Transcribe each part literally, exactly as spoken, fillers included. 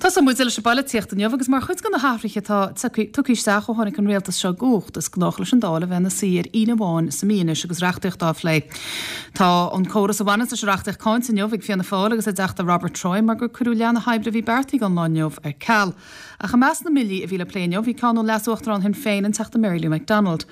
Tosóidh muid leis an bpolaitíocht inniu agus mar chuid de na hathruithe atá tugtha isteach ó tháinig an rialtas seo i gcumhacht is gnách leis an Dáil a bheith ina suí ar Aoine amháin sa mí anois agus reachtaíocht á phlé. Tá an córas a bhaineann leis an reachtaíocht cáinte inniu ag Fianna Fáil agus a dTeachta Robert Troy mar gur cuireadh leath na hoibre a bhí beartaithe don lá inniu ar ceal. Ach i measc na mbillí a bhí le plé inniu bhí ceann ó Leas-Uachtarán Shinn Féin an Teachta Mary Lou McDonald.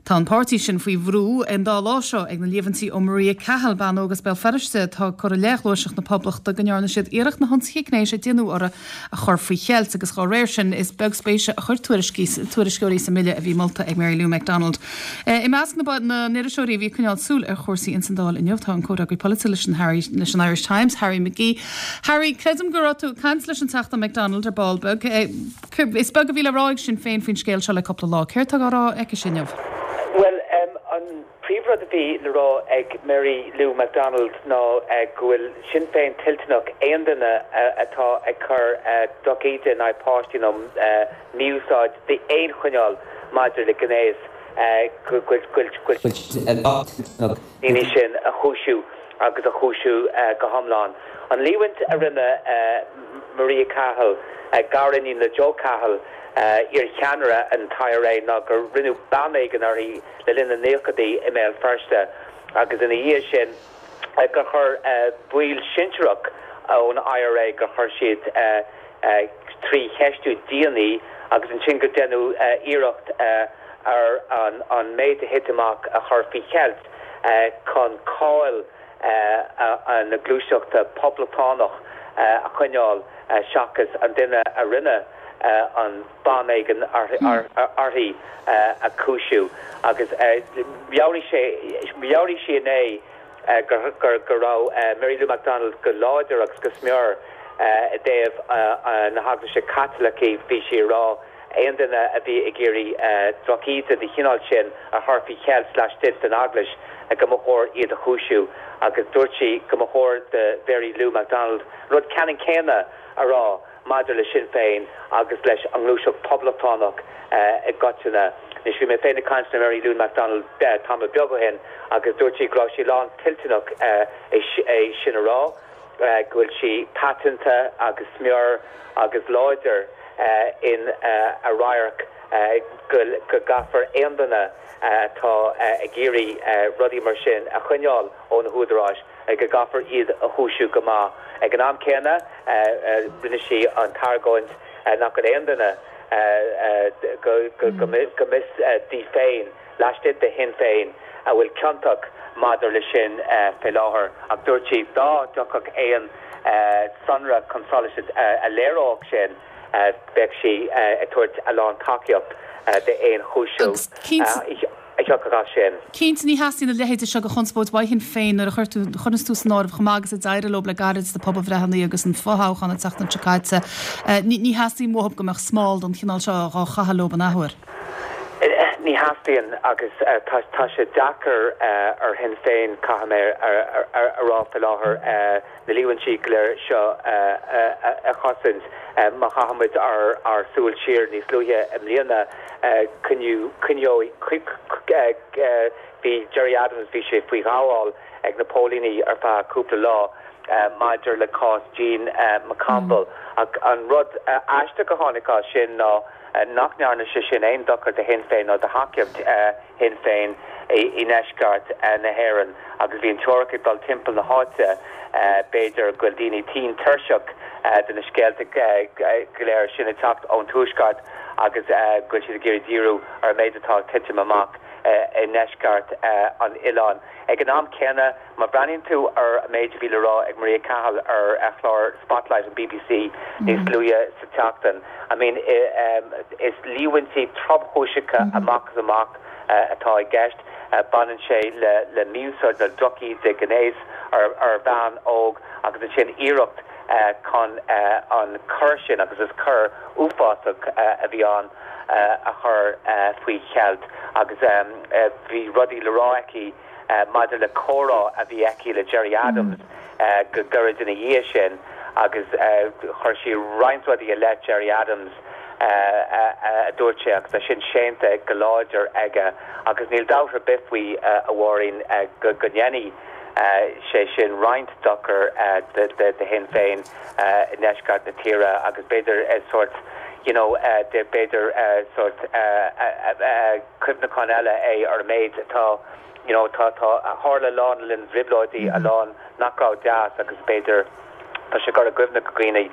Tá an páirtí sin faoi bhrú an dá lá seo ag na líomhaintí ó Maria Cahill bean óg as Béal Feirste atá curtha i leith Ghluaiseacht na Poblachta go ndearna siad iarracht na hionsaithe gnéis a déanadh uirthi a chur faoi cheilt agus dá réir sin is beag spéise a chuir tuairisceoirí sa mbille a bhí molta ag Mary Lou McDonald. I measc na n-iriseoirí bhí ag coinneáil súil ar chúrsaí insan Dáil inniu tá an comhfhreagraí polaitiúil leis an Harry leis an Irish Times Harry McGee. Harry creidim go raibh tú ag caint leis an Teachta McDonald ar ball beag. Is beag a bhí le rá ag Sinn Féin faoin scéal seo le cúpla lá. Céard atá á rá aici sin inniu. Well um, an príomhrud a bhí le rá ag Mary Lou McDonald ná uh, go bhfuil Sinn Féin toilteanach aon duine uh, atá ag cur uh, drochíde in aghaidh páistí nó uh, mí-úsáid d'aon chineál maidir le gnéas go daoine sin a chúisiú agus a chúisiú go hiomlán. An líomhaint a rinne Maria Cahill gariníon le Joe Cahill iarcheannaire an IRA ná gur rinneadh banéigean uirthi le linn na nóchaidí i mBéal Feirste agus ina dhiaidh sin gur chuir baill sinsearach ón IRA gur chuir siad trí cheistiú dian í agus ansin go ndearnadh iarracht ar an, an méid a thit amach a chur faoi cheilt chun cáil na gluaiseachta poblachtánach a choinneáil seachas an duine a rinne an banéigean uirthi a chúisiú agus mheabhraigh sé mheabhraigh sí inné gur go raibh Mary Lou McDonald go láidir agus go smior i dtaobh na hEaglaise Caitlicí bhí sí rá aon duine a bhí ag iarraidh drochíde den chineál sin a chur faoi cheilt laistigh den eaglais go mba chóir iad a chúisiú agus dúirt sí go mba chóir do Mary Lou McDonald rud ceannann céanna a rá maidir le Sinn Féin agus leis an ngluaiseacht poblachtánach i gcoitinne. Anois bhí mé féin ag caint le Mary Lou McDonald tamall beag ó shin agus dúirt sí go raibh sí lán toilteanach é sin a rá go bhfuil sí paiteanta agus smior agus láidir in a radharc go gcaithfear aon duine atá ag iarraidh rudaí mar sin a choinneáil ó na húdaráis go gcaithfear iad a chúisiú go maith. Ag an am céanna rinne sí an t-argóint nach bhfuil aon duine go mb'fhios di féin laistigh de Shinn Féin a bhfuil ciontach maidir le sin fé láthair ach dúirt sí dá dtiocfadh aon sonra chun solais a léireodh sin bheadh sí ag tabhairt a lán tacaíocht d'aon chúisiú a thiocfadh as sin. Cinnte ní theastaíonn a leithéid seo de chonspóid ó Shinn Féin nuair a chuir tú chuireann tú san áireamh chomh maith agus a d'éirigh leo le gairid sna pobalbhreitheanna agus an fothoghchán an tseachtain seo caite. Ní theastaíonn uathu go mbeadh smál den chineál seo á chaitheamh leo an athuair. Ní theastaíonn agus tá sé deacair ar Shinn Féin caithfidh mé a rá faoi láthair na líomhaintí go léir seo a chosaint má chaithimid ár ár súil siar níos luaithe i mbliana coinneoidh bhí Gerry Adams bhí sé faoi ghabháil ag na póilíní ar feadh cúpla lá maidir le cás Jean McConville ach an rud aisteach a tháinig as sin ná nach ndearna sé sin aon dochar do Shinn Féin nó do thacaíocht Shinn Féin i ndeisceart na hÉireann agus bhí an teoiric ag dul timpeall na háite b'fhéidir go bhfuil daoine tinn tuirseach de na scéalta go léir sin ag teacht ón tuaisceart agus go bhfuil siad ag iarraidh díriú ar an méid atá ag titim amach i ndeisceart an oileáin. Ag an am céanna má bhreathnaíonn tú ar an méid a bhí le rá ag Maria Cahill ar a chlár Spotlight an BBC níos luaithe sa tseachtain. I mean is líomhaintí tromchúiseacha amach is amach atá i gceist baineann sé le le mí-úsáid nó drochíde gnéis ar ar bhean óg agus ansin iarracht chun an cor sin agus is cor uafásach a bhí ann a chur faoi cheilt agus bhí rudaí le rá aici maidir le comhrá a bhí aici le Gerry Adams go gairid ina dhiaidh sin agus chuir sí roinnt rudaí i leith Gerry Adams a dúirt sé agus tá sin séanta go láidir aige agus níl dabht ar bith faoi a Mháirín go go ndéanfaidh sé sin roinnt dochar do Shinn Féin i ndeisceart na tíre agus b'fhéidir sórt you know de b'fhéidir sórt cuimhneachán eile é ar an méid atá you know tá tá tharla a lán le linn na dtrioblóidí a lán nach raibh deas agus b'fhéidir tá sé cur i gcuimhne do dhaoine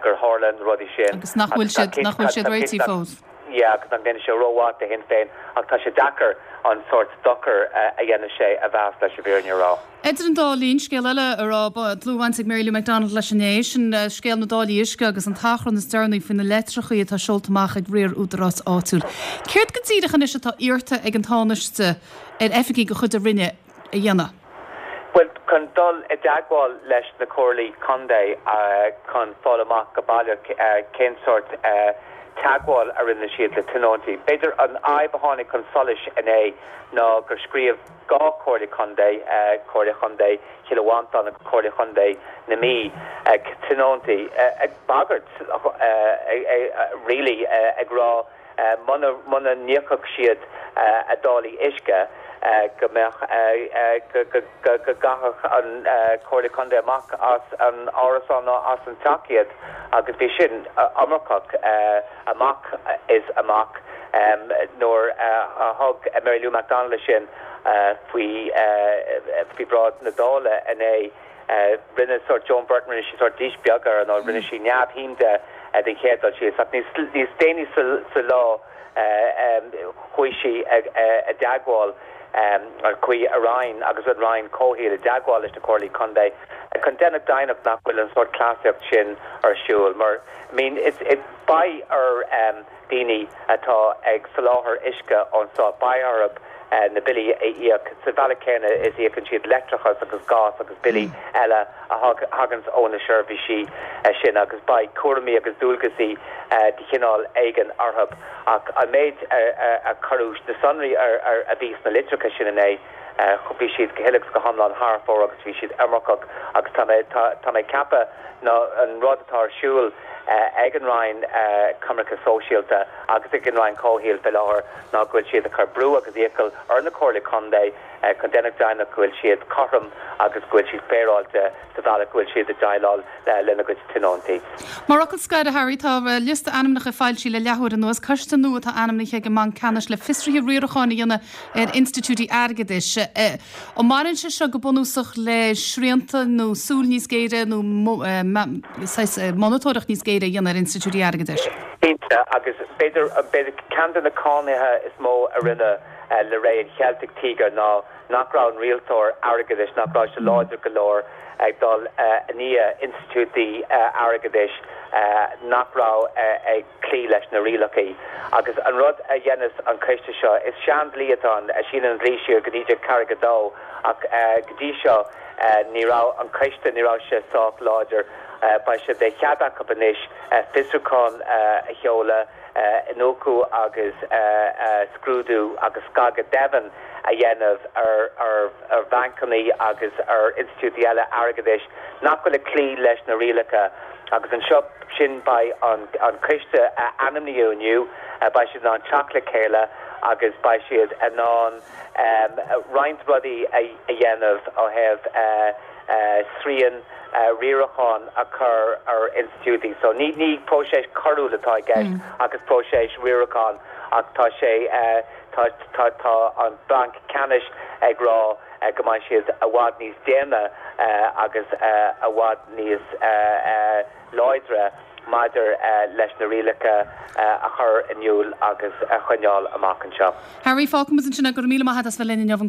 gur tharla na rudaí sin. Agus nach bhfuil siad nach bhfuil siad réitithe fós. Yeah, agus nach ndéanfaidh sé rómhaith do Shinn Féin ach tá sé deacair an sórt dochar a dhéanfaidh sé a mheas leis an bhfírinne a rá. Idir an dá linn scéal eile a raibh dlúthbhaint ag Mary Lou McDonald leis inné sin scéal na dtáillí uisce agus an t-achrann is deireanaí faoi na litreacha atá seolta amach ag riar údarás áitiúil. Céard go díreach anois atá iarrta ag an Tánaiste ar oifigigh de chuid a Roinne a dhéanamh? Well chun dul i dteagmháil leis na comhairlí contae chun fáil amach go baileach cén sórt teagmháil a rinne siad le tionóntaí. B'fhéidir an fhadhb a tháinig chun solais inné ná gur scríobh dhá chomhairle contae Comhairle Chontae Chill Mhantáin agus Comhairle Chontae na Mí tionóntaí ag bagairt really ag rá muna muna n-íocfadh siad a dtáillí uisce go mbeadh go gcaithfeadh an Comhairle Contae amach as an árasán nó as an teach iad agus bhí sin iomarcach amach is amach nuair a thug Mary Lou McDonald sin faoi faoi bhráid na Dála inné rinne sórt Joan Burton rinne sí sórt dís beag air nó rinne sí neamhshuim de den chéad dul síos ach níos déanaí sa lá chuaigh sí i dteagmháil ar chuaigh a Roinn agus an Roinn Comhshaoil i dteagmháil leis na comhairlí contae chun déanamh deimhneach nach bhfuil an sórt cleasaíocht sin ar siúl mar I mean it's it beidh ar um, daoine atá ag soláthar uisce anseo beidh orthu na billí a íoc sa bhealach céanna is íocann siad leictreachas agus gás agus billí eile a thagann ó na seirbhísí sin agus beidh cúraimí agus dualgaisí de chineál éigin orthu ach an méid a cuireadh na sonraí a bhí sna litreacha sin inné bhí siad go huile go hiomlán thar fóir agus bhí siad iomarcach agus tá mé tá mé ceaptha ná an rud atá ar siúl ag an Roinn Coimirce Sóisialta agus ag an Roinn Comhshaoil faoi láthair ná go bhfuil siad ag cur brú agus iachall ar na comhairlí contae chun déanamh deimhneach go bhfuil siad cothrom agus go bhfuil siad féaráilte sa bhealach go bhfuil siad ag déileáil lena gcuid tionóntaí. Mar fhocal scoir Harry tá liosta ainmneacha foilsithe le leathuair anuas coiste nua atá ainmnithe ag an mBanc Ceannais le fiosruithe riaracháin a dhéanamh ar institiúidí airgeadais. An mbaineann sé seo go bunúsach le srianta nó súil níos géire nó monatóireacht níos géire a dhéanamh ar institiúidí airgeadais. Cinnte agus b'fhéidir b'fhéidir ceann de na cánaithe is mó a rinne le ré an Celtic Tiger ná nach raibh an rialtóir airgeadais nach raibh sé láidir go leor ag dul i ndiaidh institiúidí airgeadais nach raibh ag cloí leis na rialacha. agus an rud a dhéanfas an coiste seo is seandlí atá a síneann an dlí siar go naoi ceathair a dó ach go dtí seo ní raibh an coiste ní raibh sé sách láidir beidh sé de chead acu anois fiosrúchán a sheoladh iniúchadh agus scrúdú agus scagadh deimhin a dhéanamh ar ar ar bhancanna agus ar institiúidí eile airgeadais nach bhfuil ag cloí leis na rialacha agus anseo sin beidh an an coiste a ainmníodh inniu beidh siad in ann teacht le chéile agus beidh siad in ann roinnt rudaí a dhéanamh ó thaobh srian riaracháin a chur ar institiúidí. So ní ní próiseas coiriúil atá i gceist agus próiseas riaracháin ach tá sé tá tá tá an Banc Ceannais ag rá go mbeidh siad i bhfad níos déine agus i bhfad níos láidre maidir leis na rialacha a chur in iúl agus a choinneáil amach anseo. Harry fágfaimid ansin go míle maith as bheith linn inniu